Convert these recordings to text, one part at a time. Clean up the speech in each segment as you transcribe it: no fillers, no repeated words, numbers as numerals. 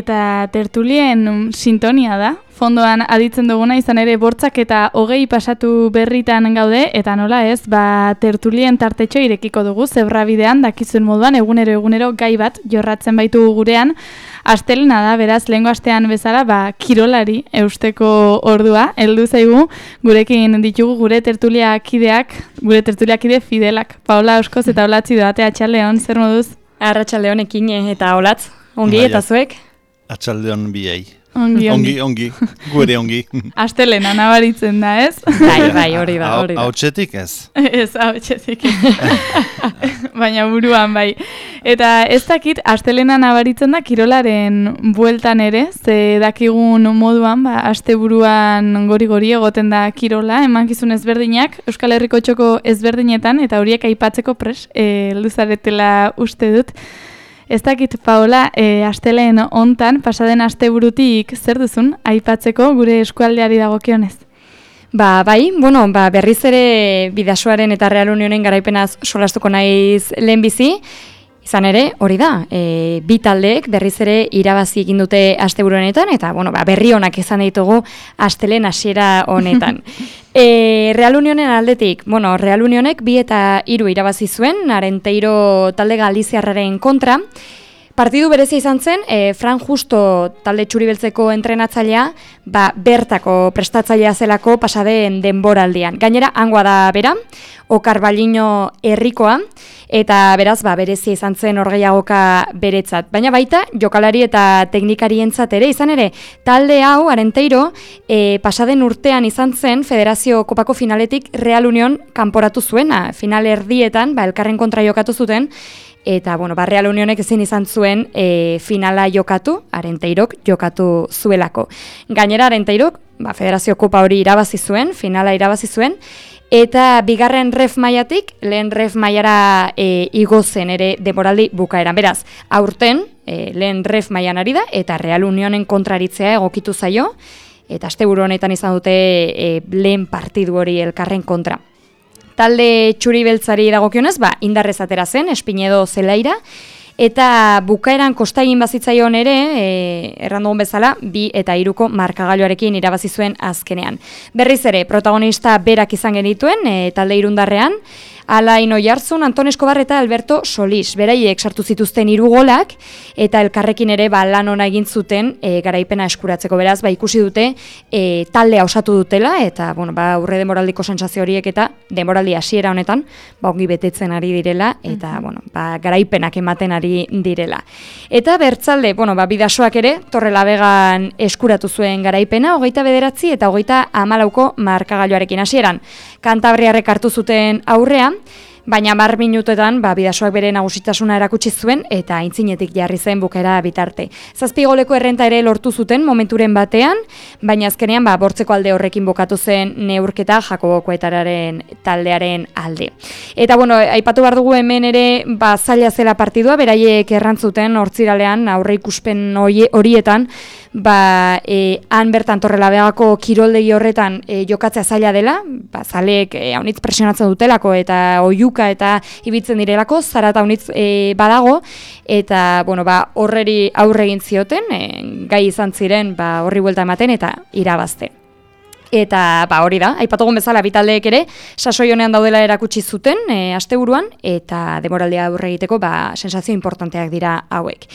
eta tertulien sintonia da. Fondoan aditzen duguna izan ere bortzak eta 20 pasatu berritan gaude, eta nola ez, tertulien tartetxo irekiko dugu, zebrabidean dakizuen moduan egunero gai bat jorratzen baitu gurean. Astelena da, beraz, lehengo astean bezala, kirolari eusteko ordua, heldu zaigu, gurekin ditugu gure tertuliakide fidelak. Paola Oskoz eta Olatzi Doate, atxaldeon, zer moduz? Arratsaldeon ekin eta Olatz, ongi eta zuek? Atxaldeon biei. Ongi. Gure ongi. Astelena nabaritzen da, ez? Bai, hori da. Hautsetik ez? Ez, hautsetik ez. Baina buruan bai. Eta ez dakit, astelena nabaritzen da kirolaren bueltan ere, ze dakigun moduan, asteburuan gori egoten da kirola, emankizun ezberdinak, Euskal Herriko txoko ezberdinetan, eta horiek aipatzeko pres, luzaretela uste dut. Ez dakit, Paola, asteleen hontan, pasaden asteburutik zer duzun aipatzeko gure eskualdeari dagokionez? Bai, berriz ere Bidasoaren eta Real Unionen garaipenaz solastuko naiz lehenbizi. Izan ere, hori da, bi taldeek berriz ere irabazi egin dute asteburu honetan, eta berri onak izan ditugu astelehen hasiera honetan. Real Unionen aldetik, Real Unionek 2 eta 3 irabazi zuen, Arenteiro talde galiziarraren kontra. Partidu berezia izan zen, Fran Justo talde txuribeltzeko entrenatzailea, bertako prestatzailea zelako pasadeen denboraldian. Gainera, hangoa da bera, Okar Balino herrikoa, eta beraz, berezia izan zen orgeiagoka beretzat. Baina baita, jokalari eta teknikarientzat ere, izan ere, talde hau, Arenteiro, pasaden urtean izan zen Federazio Kopako finaletik Real Union kanporatu zuena. Final erdietan, elkarren kontra jokatu zuten, eta, Real Unionek ezin izan zuen finala jokatu, Arenteirok jokatu zuelako. Gainera, Arenteirok, Federazio Kopa hori irabazi zuen, finala irabazi zuen, eta bigarren ref mailatik, lehen ref mailara igo zen ere denboraldi bukaeran. Beraz, aurten, lehen ref mailan ari da, eta Real Unionen kontraritzea egokitu zaio, eta asteburu honetan izan dute lehen partidu hori elkarren kontra. Talde txuri-beltzari dagokionez, indarrez atera zen, Espinedo zelaira, eta bukaeran kostaigin bazitzaion ere, errandugun bezala, 2 eta 3ko markagailuarekin irabazi zuen azkenean. Berriz ere, protagonista berak izan genituen, talde irundarrean, Alain Oiartzun, Anton Eskobar eta Alberto Solis. Beraiek sartu zituzten 3 golak, eta elkarrekin ere lan ona egin zuten garaipena eskuratzeko. Beraz, ikusi dute taldea osatu dutela, eta urre demoraldiko sentsazio horiek eta demoraldi hasiera honetan ongi betetzen ari direla, eta garaipenak ematen ari direla. Eta bertzalde, Bidasoak ere, Torrelaviegan eskuratu zuen garaipena, 29 eta 34ko markagailuarekin hasieran. Kantabriarrek hartu zuten aurrea, baina 10 minutetan Bidasoak bere nagusitasuna erakutsi zuen eta aintzinetik jarri zen bukaera bitarte. 7 goleko errenta ere lortu zuten momenturen batean, baina azkenean bortzeko alde horrekin bukatu zen neurketa Jakobo Koetararen taldearen alde. Eta aipatu behar dugu hemen ere zaila zela partidua, beraiek errantzuten hortziralean aurreikuspen horietan, han bertan Torrelavegako kiroldegi horretan jokatzea zaila dela, zaleek haunitz presionatzen dutelako eta oiuka eta ibitzen direlako, zarata haunitz badago, eta horreri aurre egin zioten, gai izan ziren horri buelta ematen eta irabazten. Eta hori da, aipatugun bezala bitaldeek ere, sasoi honean daudela erakutsi zuten asteburuan, eta demoraldia aurre egiteko sensazio importanteak dira hauek.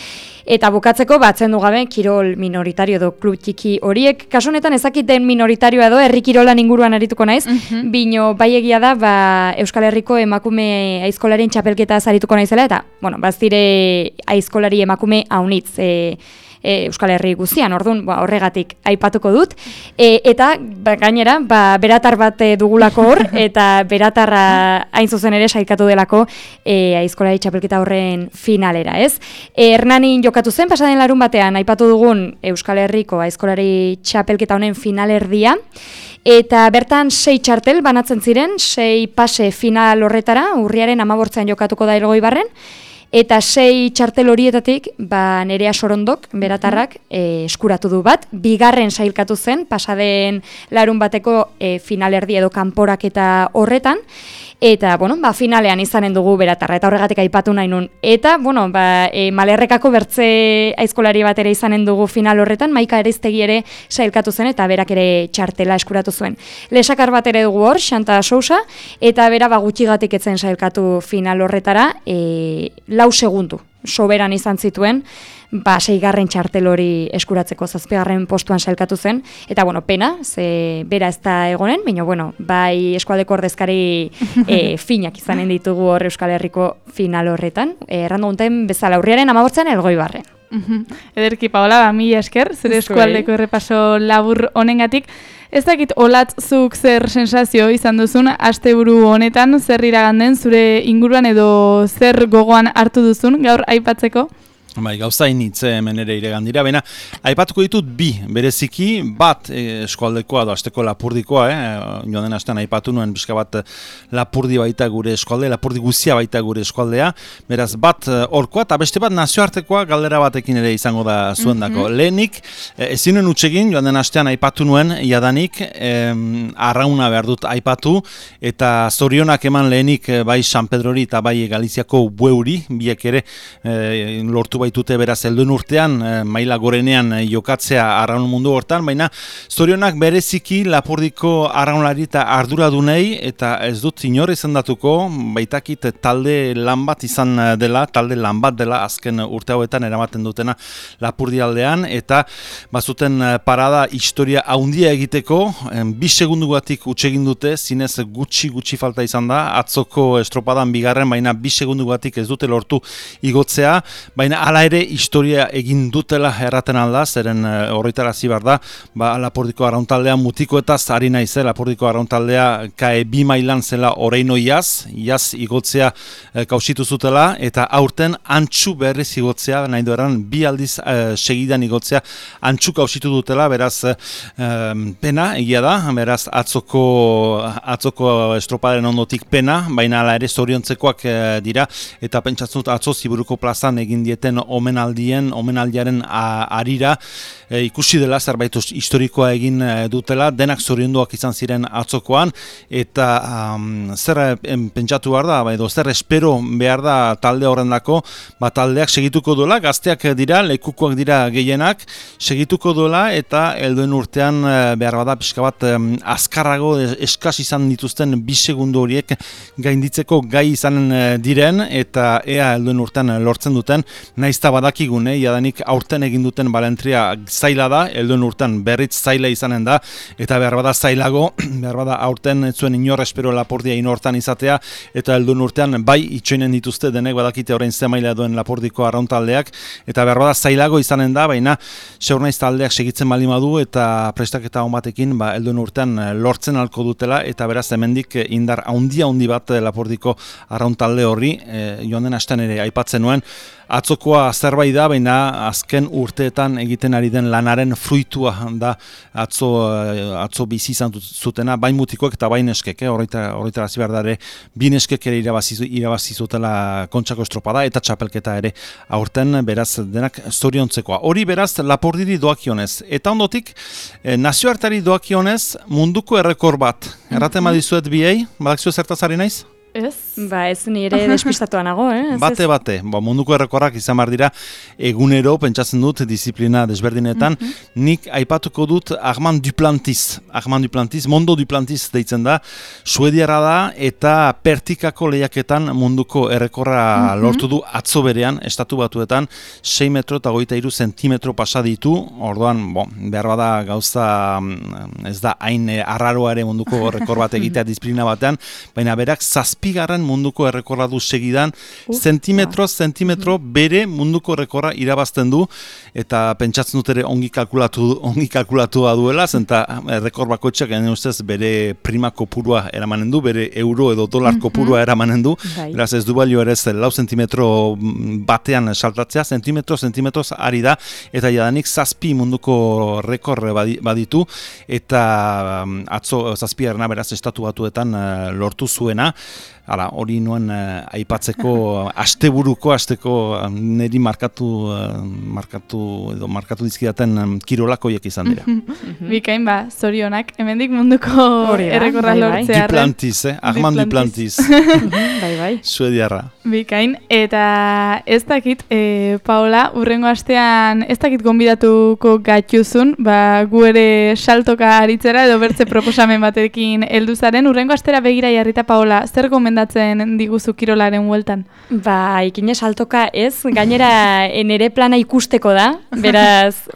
Eta bukatzeko, atzendu gabe, kirol minoritario edo klub txiki horiek, kasu honetan ezakiten minoritario edo herri kirolan inguruan arituko naiz, bino bai egia da, Euskal Herriko emakume aizkolaren txapelketa arituko naizela, eta, baztire aizkolari emakume haunitz, Euskal Herri guztian, orduan horregatik aipatuko dut, eta gainera beratar bat dugulako hor, eta beratarra hain zuzen ere saikatu delako aizkolari txapelketa horren finalera, ez? Hernanin jokatu zen, pasaden larun batean aipatu dugun Euskal Herriko aizkolari txapelketa honen finalerdia, eta bertan 6 txartel banatzen ziren, 6 pase final horretara, urriaren 15 jokatuko da Elgoibarren, Eta 6 txartel horietatik, Nerea Sorondok, beratarrak, eskuratu du bat. Bigarren sailkatu zen, pasaden larun bateko finalerdi edo kanporaketa horretan. eta, bueno, finalean izanen dugu beratarra, eta horregatik aipatu nahi nun. Eta, bueno, Malerrekako bertze aizkolari bat ere izanen dugu final horretan, Maika Eriztegi ere sailkatu zen, eta berak ere txartela eskuratu zuen. Lesakar bat ere dugu hor, Xanta Sousa, eta bera gutxigatik etzen sailkatu final horretara, 4 segundu soberan izan zituen, 6. txartel hori eskuratzeko 7. postuan sailkatu zen, eta bueno, pena, ze bera ez da egonen, baina bueno, bai eskualdeko ordezkari finak izanen ditugu hor Euskal Herriko final horretan, errandu gunten bezala urriaren 18an Elgoibarren. Ederki, Paola, mila esker, zure eskualdeko errepaso labur honengatik. Ez dakit olatzuk zer sensazio izan duzun, asteburu honetan, zer iraganden zure inguruan edo zer gogoan hartu duzun gaur aipatzeko? Bai, gauza initze hemen ere iregan dira, baina aipatuko ditut bi, bereziki bat eskualdekoa edo asteko Lapurdikoa, joan den astean aipatu nuen pixka bat Lapurdi baita gure eskualdea, Lapurdi guzia baita gure eskualdea, beraz bat horkoa eta beste bat nazioartekoa galdera batekin ere izango da zuendako. Lehenik, ezin nuen utsegin, joan den astean aipatu nuen, jadanik, arrauna behar dut aipatu, eta zorionak eman lehenik bai San Pedrori eta bai Galiziako Bueuri, biek ere lortu baitute beraz helduen urtean, maila gorenean jokatzea arraun mundu hortan, baina zorionak bereziki Lapurdiko arraunlari eta arduradunei, eta ez dut inor izendatuko, baitakit talde lan bat izan dela, talde lan bat dela azken urte hauetan eramaten dutena Lapurdi aldean, eta bazuten parada historia haundia egiteko, 2 segundugatik utsegin dute, zinez gutxi falta izan da, atzoko estropadan 2. baina 2 segundugatik ez dute lortu igotzea, baina hala ere historia egin dutela erraten alda, zeren horretarazi behar da, Lapurdiko arrauntaldea mutikoetaz ari naize, Lapurdiko arrauntaldea KE2 mailan zela oraino iaz igotzea kausitu zutela, eta aurten antxu berriz igotzea, nahi dueran 2 aldiz segidan igotzea antxu kausitu dutela, beraz pena egia da, beraz atzoko estropadaren ondotik pena, baina hala ere zoriontzekoak dira, eta pentsatzen dut atzo Ziburuko plazan egin dieten omenaldiaren arira ikusi dela zerbait historikoa egin dutela, denak zorionduak izan ziren atzokoan, eta zer pentsatu behar da, edo zer espero behar da talde horrendako, taldeak segituko duela, gazteak dira, lekukoak dira gehienak, segituko duela, eta helduen urtean behar bada pixka bat azkarrago eskas izan dituzten 2 segundu horiek gainditzeko gai izanen diren, eta ea helduen urtean lortzen duten, naizta badakigune, jadanik aurten egin duten balentria zaila da, helduen urtean berriz zaila izanen da, eta behar bada zailago, behar bada aurten ez zuen inor espero Lapurdia inortan izatea, eta helduen urtean bai itxoinen dituzte denek badakite orain ze maila duen Lapurdiko arrauntaldeak, eta behar bada zailago izanen da, baina seur naiz taldeak segitzen baldin badu, eta prestaketa on batekin helduen urtean lortzen alko dutela, eta beraz hemendik indar handi bat Lapurdiko arrauntalde horri, joan den astean ere aipatzen nuen, atzokoa zerbait da, baina azken urteetan egiten ari den lanaren fruitua da atzo bizi izan zutena, bain mutikoek eta bain eskek, horretara behar da ere, 2 neskek ere irabazi zutela Kontxako estropada eta txapelketa ere aurten, beraz denak zoriontzekoa. Hori beraz Lapurdiri doakionez, eta ondotik nazioartari doakionez munduko errekor bat. Erraten badizuet biei, badakizue zertaz ari naiz? Ez? Ez nire despistatuan nago, Bate, munduko errekorrak izan behar dira egunero, pentsatzen dut, disiplina desberdinetan, nik aipatuko dut Armand Duplantis, Mondo Duplantis deitzen da, suediara da, eta pertikako lehiaketan munduko errekorra lortu du atzo berean, estatu batuetan, 6 metro eta 23 zentimetro pasa ditu, orduan, behar bada gauza, ez da hain arraroa ere munduko errekor bat egitea disiplina batean, baina berak 7. munduko errekorra du segidan, zentimetro bere munduko errekorra irabazten du, eta pentsatzen dut ere ongi kalkulatu da duela, zenta errekor bakoitzak genen ustez bere prima kopurua eramanen du, bere euro edo dolar kopurua eramanen du, beraz ez du balio ere 4 zentimetro batean saltatzea, zentimetroz ari da, eta jadanik 7 munduko rekor baditu, eta atzo 7. beraz estatu batuetan lortu zuena, hori nuen aipatzeko asteko niri markatu dizkidaten kirolakoiek izan dira. Bikain zorionak, hemendik munduko errekorra lortzea. Duplantis, Armand Duplantis. Bai. Suediarra. Bikain, eta ez dakit, Paola, urrengo astean ez dakit gonbidatuko gatuzun, gu ere saltoka aritzera edo bertze proposamen batekin heldu zaren, urrengo astera begira jarrita, Paola, zer gomendatzen diguzu kirolaren hueltan? Ikine saltoka ez, gainera nere plana ikusteko da, beraz,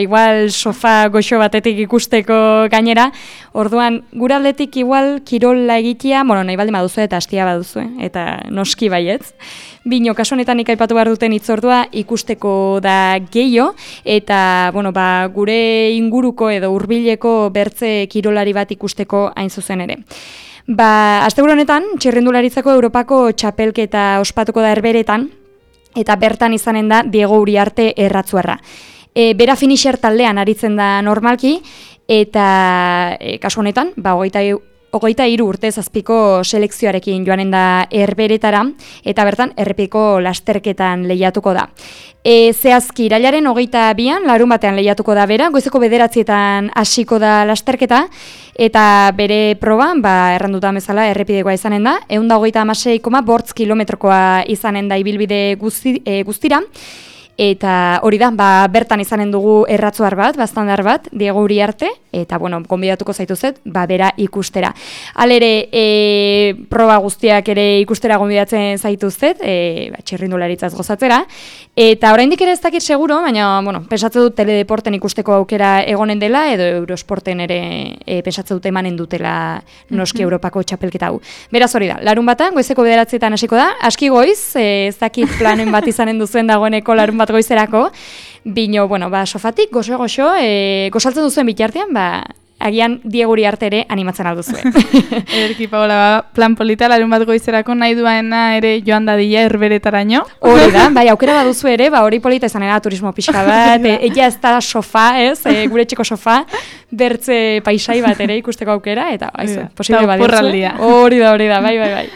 igual sofa goxo batetik ikusteko gainera, orduan, gure aldetik igual kirola egitea, nahi baldin baduzu eta hastia baduzu, eta noski baietz. Bino, kasu honetan ikaipatu behar duten hitzordua ikusteko da gehiago, eta gure inguruko edo hurbileko bertze kirolari bat ikusteko hain zuzen ere. Asteburu honetan, txirrindularitzako Europako txapelketa ospatuko da Herberetan, eta bertan izanen da Diego Uriarte Erratzuarra. Bera finisher taldean aritzen da normalki, eta kasu honetan, 23 urte zazpiko selekzioarekin joanen da Herberetara, eta bertan errepiko lasterketan lehiatuko da. Zehazki, irailaren 22an, larun batean lehiatuko da bera, goizeko 9:00 hasiko da lasterketa, eta bere proban, erranduta bezala, errepidekoa izanen da, 136,8 kilometrokoa izanen da ibilbide guztira, eta hori da, bertan izanen dugu erratzuar bat, baztandar bat, Diego Uriarte, eta, gonbidatuko zaituzet, bera ikustera. Halere, proba guztiak ere ikustera gonbidatzen zaituzet, txirrindularitzaz gozatzera, eta oraindik ere ez dakit seguro, baina, pensatze dut teledeporten ikusteko aukera egonen dela, edo Eurosporten ere pensatze dut emanen dutela noski Europako txapelketa hau. Beraz hori da, larun batan, goizeko 9:00 hasiko da, aski goiz, ez dakit planen bat izanen duzuen dagoeneko larun bat goizerako, bino, sofatik, goxo, gozaltzen duzuen bitartean, agian Diego Uriarte ere animatzen alduzue. Ederki, Paola, plan polita, larun bat goizerako nahi duena ere joan dadila Herberetaraino. Hori da, aukera baduzu ere, hori polita izanera turismo pixka bat, ella ez da sofa, gure txiko sofa, bertze paisai bat ere ikusteko aukera, eta posible baduzue. Hori da, bai.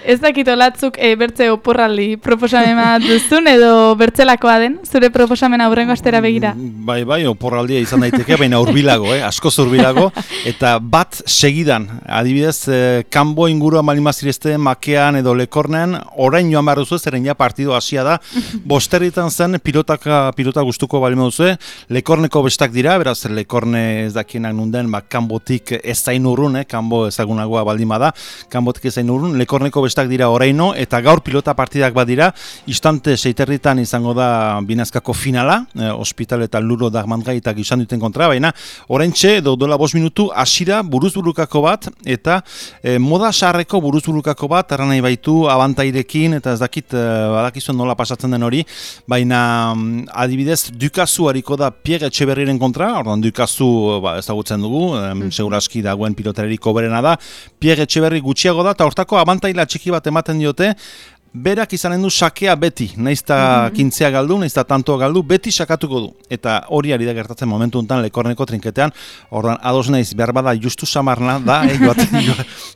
Ez dakit olatzuk bertze oporraldi proposamen bat duzun, edo bertzelakoa den, zure proposamen aurrengo astera begira? Bai, oporraldia izan daiteke, baina urbilago, askoz urbilago, eta bat segidan, adibidez, kanbo ingurua malimazirezte, makean edo lekornean, orain joan behar duzu, zeren ja partido hasia da, bosterritan zen, pilota gustuko balima duzu, lekorneko bestak dira, beraz, lekorne ez dakienak nunden, kanbotik ez zain urrun, kanbo ezagunagoa baldima da, kanbotik ez zain urrun, lekorneko bestak dira oraino, eta gaur pilota partidak badira, instante 6:30 izango da binazkako finala, Hospital eta Luro Dagmantgai eta gizan duten kontra, baina oraintxe, dola 5 minutu, hasira buruzburukako bat, eta moda sarreko buruzburukako bat, arra nahi baitu, abantairekin, eta ez dakit, badakizuen nola pasatzen den hori, baina adibidez, Dukazu hariko da Pierre Etxeberriren kontra, ordan Dukazu ezagutzen dugu, seguraski dagoen pilotarerik oberena da, Pierre Etxeberri gutxiago da, eta hortako abantaila txiki bat ematen diote, berak izanen du sakea beti, naizta kintzea galdu, naizta tantoa galdu, beti sakatuko du. Eta hori ari da gertatzen momentu honetan lekorneko trinketean, ordan ados naiz, behar bada justu samarna da,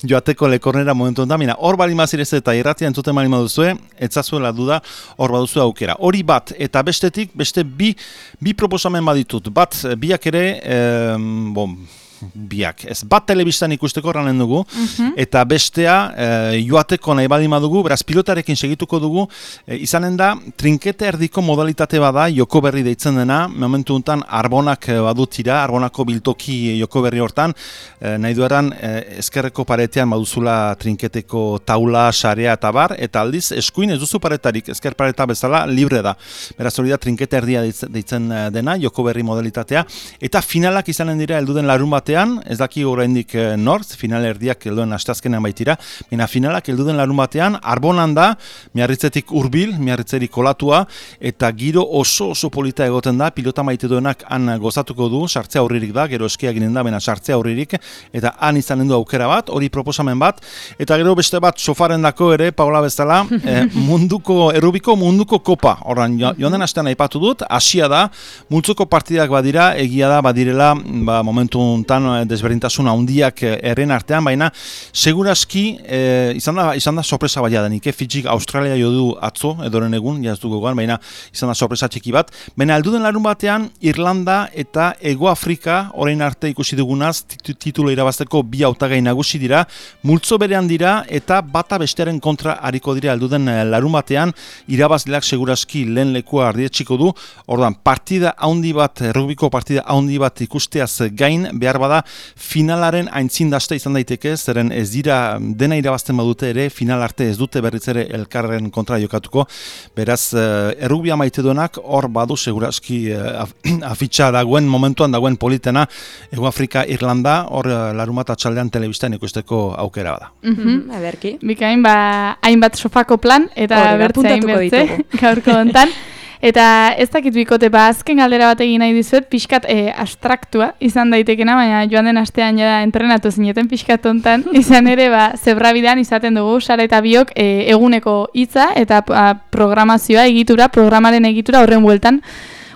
joateko lekornera momentu honetan, hor bali mazirez eta irratia entzuten bali maduzue, etzazuela duda, hor baduzu aukera. Hori bat, eta bestetik, beste bi proposamen baditut, bat, biak ere, biak. Ez bat telebistan ikusteko ranen dugu, eta bestea joateko nahi badima dugu, beraz pilotarekin segituko dugu, izanen da, trinkete erdiko modalitate bada, joko berri deitzen dena, momentu honetan Arbonak badutira, Arbonako biltoki joko berri hortan, nahi dueran ezkerreko paretean baduzula trinketeko taula, sarea eta bar, eta aldiz, eskuin ez duzu paretarik, ezker pareta bezala, libre da. Beraz hori da, trinkete erdia deitzen dena, joko berri modalitatea, eta finalak izanen dira helduden larun batean, ez daki oraindik nortz, final erdiak helduen asteazkenean baitira, baina finalak helduden larun batean, Arbonan da, Miarritzetik hurbil, Miarritzerik kolatua, eta giro oso polita egoten da, pilota maite duenak han gozatuko du, sartzea aurririk da, gero eskia ginen da, baina sartzea aurririk, eta han izanen du aukera bat, hori proposamen bat, eta gero beste bat sofaren dako ere, Paola bezala, errubiko munduko kopa, horran, joan den astean aipatu dut, hasia da, multzoko partidak badira, egia da, badirela, momentu honetan artean, desberdintasun handiak herren artean, baina seguraski izan da sorpresa baina denik, Fidjik Australia jo du atzo, edoren egun, jaz dugu gogan, baina izan da sorpresa txiki bat, baina alduden larun batean Irlanda eta Ego Afrika orain arte ikusi dugunaz titulo irabazteko bi hautagai nagusi dira, multzo berean dira eta bata bestearen kontra hariko dira alduden larun batean, irabazleak seguraski lehen lekua ardietxiko du, ordan partida handi bat, rugbiko partida handi bat ikusteaz gain, behar bada finalaren aintzindasta izan daiteke, zeren ez dira dena irabazten badute ere, final arte ez dute berriz ere elkarren kontra jokatuko, beraz, errugbia maite duenak, hor badu seguraski afitxa dagoen, momentuan dagoen politena, Ego Afrika, Irlanda, hor larumat atxaldean telebistan ikusteko aukera bada. Aberki. Bikain, hainbat sofako plan, eta bertze, gaurko hontan. Eta ez dakit bikote, azken galdera bat egin nahi dizuet, pixkat abstraktua izan daitekena, baina joan den astean jada entrenatu zineten pixkat hontan, izan ere zebrabidean izaten dugu, Sara eta biok eguneko hitza eta programazioa, programaren egitura horren bueltan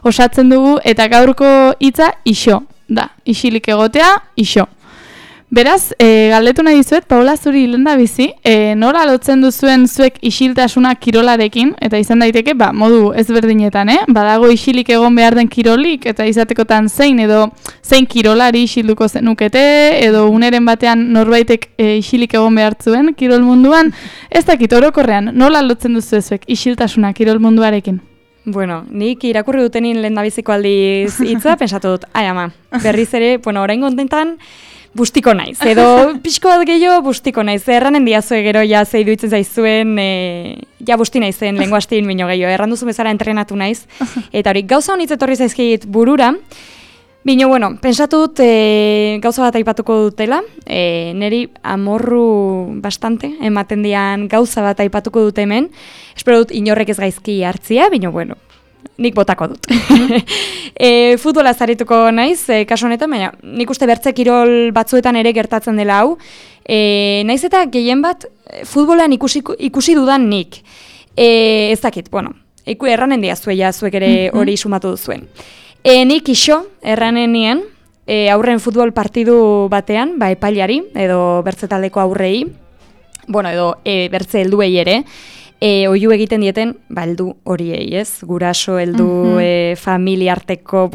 osatzen dugu, eta gaurko hitza iso, da, isilik egotea, iso. Beraz, galdetu nahi dizuet, Paula, zuri lenda bizi, nola lotzen duzuen zuek isiltasuna kirolarekin, eta izan daiteke, modu ezberdinetan, badago isilik egon behar den kirolik, eta izatekotan zein kirolari isilduko zenukete, edo uneren batean norbaitek isilik egon behar zuen kirol munduan, ez dakit orokorrean, nola lotzen duzu zuek isiltasuna kirol munduarekin? Bueno, nik irakurri dutenin lehendabiziko aldiz hitza, pensatu dut, ama, berriz ere, orain kontentan, bustiko naiz, edo pixko bat gehiago bustiko naiz, erranen diazue gero ja zeidu itzen zaizuen, ja busti naizen lehenko hastiin bino gehiago, erranduzu bezala entrenatu naiz, eta hori gauza honitz etorri zaizkit burura, bino, pensatu dut gauza bat aipatuko dutela, niri amorru bastante, ematen dian gauza bat aipatuko dut hemen, espero dut inorrek ez gaizki hartzia, bino, nik botako dut. Futbola zarituko naiz, kasu honetan, baina nik uste bertze kirol batzuetan ere gertatzen dela hau. Naiz eta gehien bat futbolan ikusi dudan nik. Ez dakit, erranen diazuela zuek ere hori sumatu duzuen. Nik iso, erranen nien, aurren futbol partidu batean, epailari, edo bertze taldeko aurrei, edo bertze helduei ere, oihu egiten dieten, heldu horiei, ez? Guraso, heldu, familiarteko,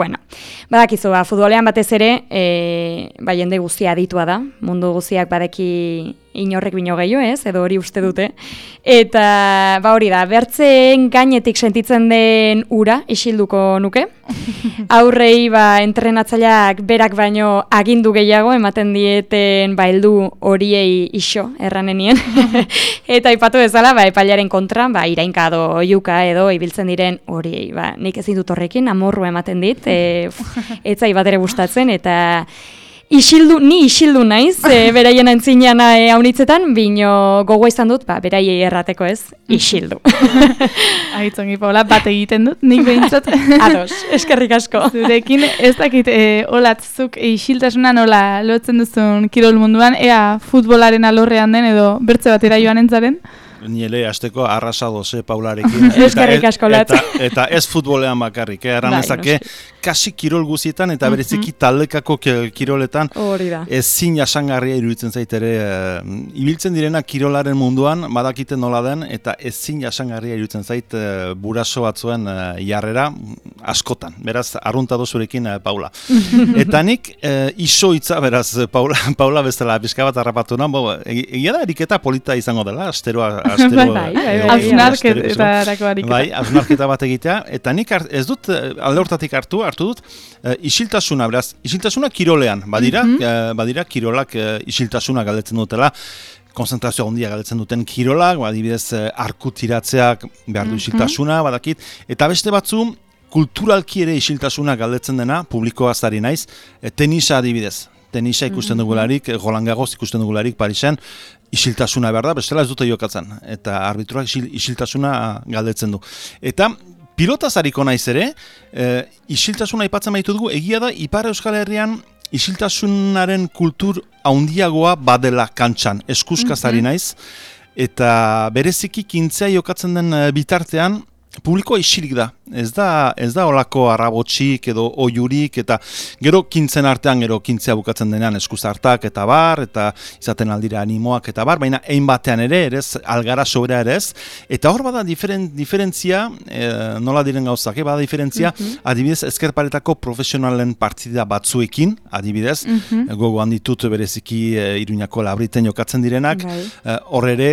badakizu, futbolean batez ere, jende guztia aditua da, mundu guztiak badeki inorrek bino gehiago, ez? Edo hori uste dute. Eta, hori da, bertzen gainetik sentitzen den ura isilduko nuke. Aurrei, entrenatzaileak berak baino agindu gehiago ematen dieten, heldu horiei iso, erranenien. Eta ipatu bezala, epailaren kontra, irainkado, oiuka edo ibiltzen diren horiei. Nik ezin dut horrekin, amorru ematen dit, etzai bat ere gustatzen, eta ni isildu naiz, beraien antzinean haunitzetan, bino gogoa izan dut, beraiei errateko ez, isildu. Aitzongi, Paula, bat egiten dut, nik behintzat. Ados, eskerrik asko. Zurekin, ez dakit, olatzuk isiltasuna nola lotzen duzun kirol munduan, ea futbolaren alorrean den edo bertze batera joan entzaren? Niele, azteko arrasado ze Paularekin. Eskerrik asko latz. Eta ez futbolean bakarrik, eranezake, kasi kirol guzietan eta bereziki taldekako kiroletan ezin jasangarria iruditzen zait ere. Ibiltzen direna kirolaren munduan, badakiten nola den, eta ezin jasangarria iruditzen zait buraso batzuen jarrera askotan. Beraz, arruntado zurekin, Paula. Eta nik iso hitza, beraz, Paula bezala bizka bat harrapatu nan, egia da eriketa polita izango dela, asteroa hausnarketa bat egitea, eta nik ez dut alde hortatik hartu dut isiltasuna, beraz, isiltasuna kirolean, badira kirolak isiltasuna galdetzen dutela, konzentrazio handia galdetzen duten kirolak, adibidez arku tiratzeak behar du isiltasuna, badakit, eta beste batzu, kulturalki ere isiltasuna galdetzen dena, publikoaz ari naiz, tenisa adibidez. Tenisa ikusten dugularik, Roland Garros ikusten dugularik Parisen, isiltasuna behar da, bestela ez dute jokatzen. Eta arbitruak isiltasuna galdetzen du. Eta pilotaz hariko naiz ere, isiltasuna aipatzen baitu dugu, egia da, Ipar Euskal Herrian isiltasunaren kultur handiagoa badela kantxan, eskuskaz ari naiz, eta bereziki kintzea jokatzen den bitartean, publikoa isilik da. Ez da olako arrabotxik edo oiurik, eta gero kintzen artean, gero kintzea bukatzen denean eskuzartak eta bar, eta izaten aldira animoak eta bar, baina ein batean ere, erez, algara sobera ere ez. Eta hor bada diferentzia, nola diren gauzak, bada diferentzia, adibidez, ezkerparetako profesionalen partida batzuekin, adibidez, gogo handitut bereziki Iruñako Labriten jokatzen direnak, hor ere,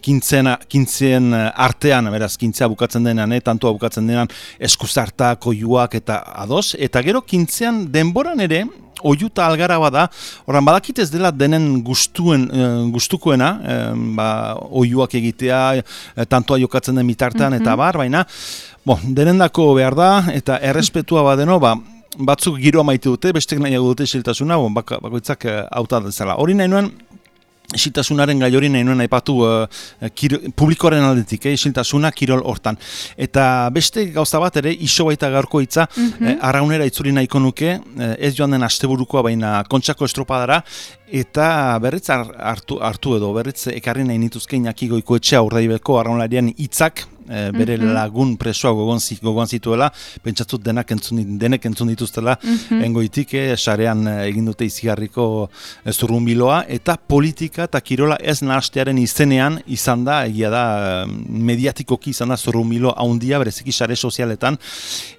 kintzen artean, beraz, kintzea bukatzen denean, tantua bukatzen denean, eskuzartak, oiuak eta ados, eta gero kintzean denboran ere, oiu eta algara bada, oran badakit ez dela denen gustukoena, oiuak egitea, tantua jokatzen den bitartean, eta bar, baina, denendako behar da, eta errespetua badeno, batzuk giroa maite dute, bestek nahiago dute isiltasuna, bakoitzak hauta dezala. Hori nahi nuen, isiltasunaren gai hori nahi nuen aipatu publikoaren aldetik, isiltasuna kirol hortan. Eta beste gauza bat ere, iso baita gaurko hitza, arraunera itzuli nahiko nuke, ez joan den asteburukoa baina Kontxako estropadara, eta berriz hartu edo, berriz ekarri nahi nituzke Iñaki Goikoetxea Urdaibeko arraunlarian hitzak, bere lagun presoa gogoan zituela, pentsatut denek entzun dituztela, engoitik, sarean egin dute izigarriko zurrunbiloa, eta politika eta kirola ez nahastearen izenean izan da, egia da, mediatikoki izan da zurrunbilo haundia, bereziki sare sozialetan,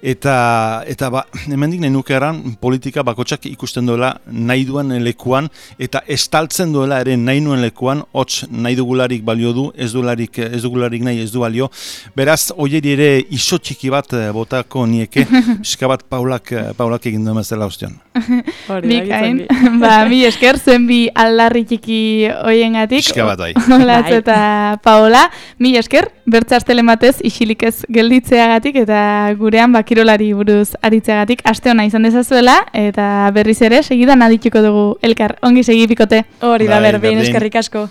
eta hemendik nahi nukeran, politika bakotxak ikusten duela nahi duen lekuan, eta estaltzen duela ere nahi nuen lekuan, hots nahi dugularik balio du, ez dugularik nahi ez du balio. Beraz, oieri ere iso txiki bat botako nieke, pixka bat Paulak egin duen bezala ostion. Bikain, mi esker, zuen bi aldarri txiki hoiengatik. Pixka bat bai. Olatz eta Paola, mi esker, bertzastele matez isilik ez gelditzeagatik eta gurean kirolari buruz aritzeagatik aste ona izan dezazuela, eta berriz ere segidan adituko dugu elkar, ongi segi bikote. Hori da, berdin, eskerrik asko.